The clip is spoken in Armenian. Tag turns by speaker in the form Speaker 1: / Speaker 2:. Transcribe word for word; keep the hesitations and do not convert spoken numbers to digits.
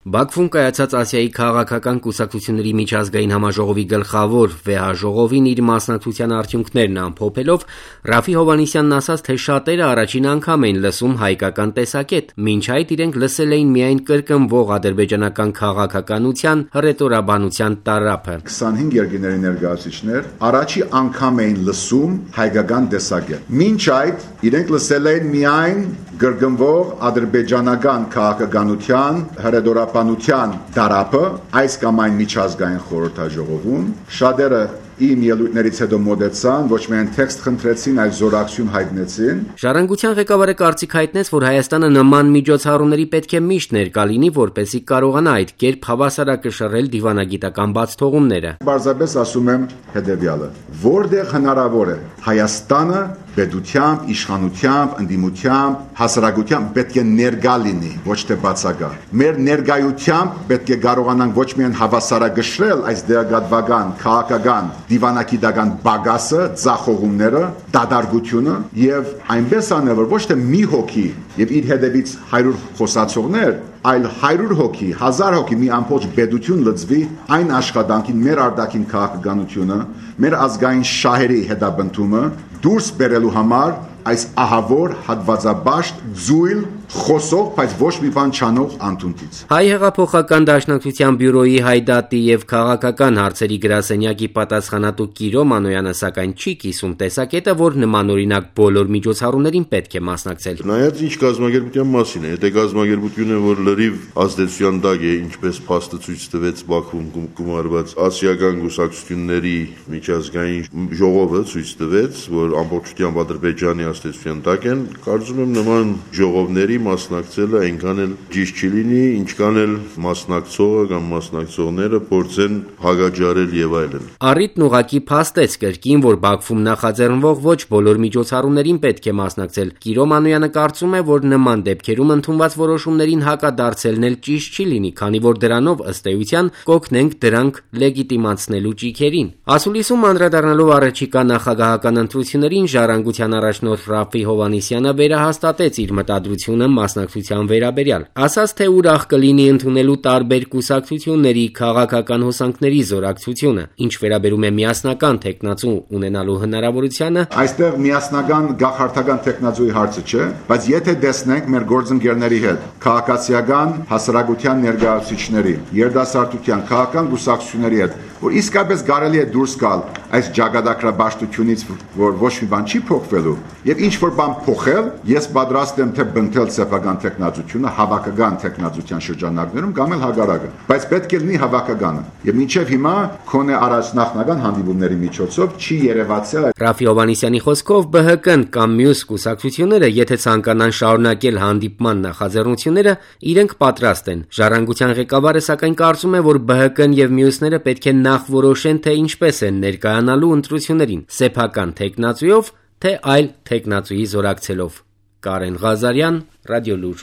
Speaker 1: Բաքվում կայացած Ասիայի քաղաքական կուսակցությունների միջազգային համաժողովի գլխավոր վեհաժողովին իր մասնակցության արդյունքներն ամփոփելով Ռաֆի Հովհաննիսյանն ասաց, թե շատերը առաջին անգամ են լսում հայկական տեսակետ, մինչ այդ իրենք լսել էին միայն կրկնվող ադրբեջանական քաղաքականության հռետորաբանության տարափը։
Speaker 2: քսանհինգ երկրների ներկայացուցիչներ առաջի անգամ էին լսում հայկական տեսակետ, մինչ այդ իրենք լսել էին միայն կրկնվող ադրբեջանական քաղաքականության հռետորաբանության տարափը այս կամ այն միջազգային խորհրդաժողովում։ Շատերը իմ ելույթներից հետո մոտեցան, ոչ միայն տեքստ խնդրեցին, այլ զորակցություն հայտնեցին։
Speaker 1: Ժառանգության ղեկավարը կարծիք հայտնեց, որ Հայաստանը նման միջոցառումների պետք է միշտ ներկա լինի, որպեսզի կարողանա այդ կերպ հավասարակշռել դիվանագիտական բացթողումները։
Speaker 2: Պարզապես ասում եմ հետևյալը. որտեղ հնարավոր է Հայաստանը պետությամբ, իշխանությամբ, ընդդիմությամբ, հասարակությամբ պետք է ներկա լինի, ոչ թե բացակա։ Մեր ներկայությամբ պետք է կարողանանք ոչ միայն հավասարակշռել այս դերակատվական, քաղաքական, դիվանագիտական բագասը, ձախողումները, դատարկությունը եւ այնպես անել, որ ոչ թե մի հոգի եւ իր հետևից հարյուր խոսացողներ, այլ հարյուր հոգի, հազար հոգի մի ամբողջ պետություն լծվի այն աշխատանքին, մեր արտաքին քաղաքականությունը, մեր ազգային շահերի հետապնդումը դուրս բերելու համար այս ահավոր հատվածաբաշտ ձույլ խոսող, բայց ոչ մի բան չանող անդունդից։
Speaker 1: Հայ հեղափոխական դաշնակցության բյուրոյի հայդատի եւ քաղաքական հարցերի գրասենյակի պատասխանատու Կիրո Մանոյանը սակայն չի կիսում տեսակետը, որ նմանօրինակ բոլոր միջոցառումներին պետք է մասնակցել։
Speaker 3: Նայած ինչ կազմակերպության մասին է, եթե կազմակերպությունը, որ լրիվ ազդեցության տակ է, ինչպես փաստը ցույց տվեց Բաքվում գումարված ասիական կուսակցությունների միջազգային ժողովը ցույց տվեց, որ ամբողջությամբ Ադրբեջանի ազդեցության տակ են, կարծում եմ նման ժողովների մասնակցելը այնքան էլ ճիշտ չի լինի, ինչքան էլ մասնակցողը կամ մասնակցողները փորձեն հագաճարել եւ այլն։
Speaker 1: Առիթն ուղղակի փաստեց կրկին, որ Բաքվում նախաձեռնվող ոչ բոլոր միջոցառումներին պետք է մասնակցել։ Կիրո Մանոյանը կարծում է, որ նման դեպքերում ընդունված որոշումներին հակադարձելն էլ ճիշտ չի լինի, քանի որ դրանով ըստ էության կօգնենք դրանք լեգիտիմացնելու ճիգերին։ Ասուլիսում անդրադառնալով առաջիկա նախագահական ընտրություններին Ժառանգության առաջնորդ Ռաֆի Հովհաննիսյանը վերահաստատեց իր մտադրությունը մասնակցության վերաբերյալ, ասաց, թե ուրախ կլինի ընդունելու տարբեր կուսակցությունների քաղաքական հոսանքների զորակցությունը, ինչ վերաբերում է միասնական թեկնածու ունենալու հնարավորությանը։
Speaker 2: Այստեղ միասնական գաղթական թեկնածուի հարցը չէ, բայց եթե տեսնենք մեր գործընկերների հետ, քաղաքացիական հասարակության ներկայացուցիչների, երիտասարդության, քաղաքական կուսակցությունների հետ, որ իսկապես կարելի է դուրս գալ այս ճակատագրաբաշխությունից, որ ոչ մի բան չի փոխվելու, եւ ինչ որ բան փոխել, ես պատրաստ եմ թե բնթել սեփական տեխնացությունը հավաքական տեխնացության շրջանակներում կամ էլ հագարակը, բայց պետք է լինի հավաքականը։ Եվ մինչև հիմա քոնե առաջնախնական հանդիպումների միջոցով չի երևացել։
Speaker 1: Ռաֆի Հովհաննիսյանի խոսքով Բ Հ Կն կամ մյուս կուսակցությունները, եթե ցանկանան շարունակել հանդիպման նախաձեռնությունները, իրենք պատրաստ են։ Ժառանգության ղեկավարը սակայն կարծում է, որ Բ Հ Կն եւ մյուսները պետք է նախ որոշեն, թե ինչպես են ներկայանալու ընտրություններին՝ սեփական թեկնածուով, թե այլ թեկնածուի զորակցելով։ Կարեն Ղազարյան, Ռադիոլուր։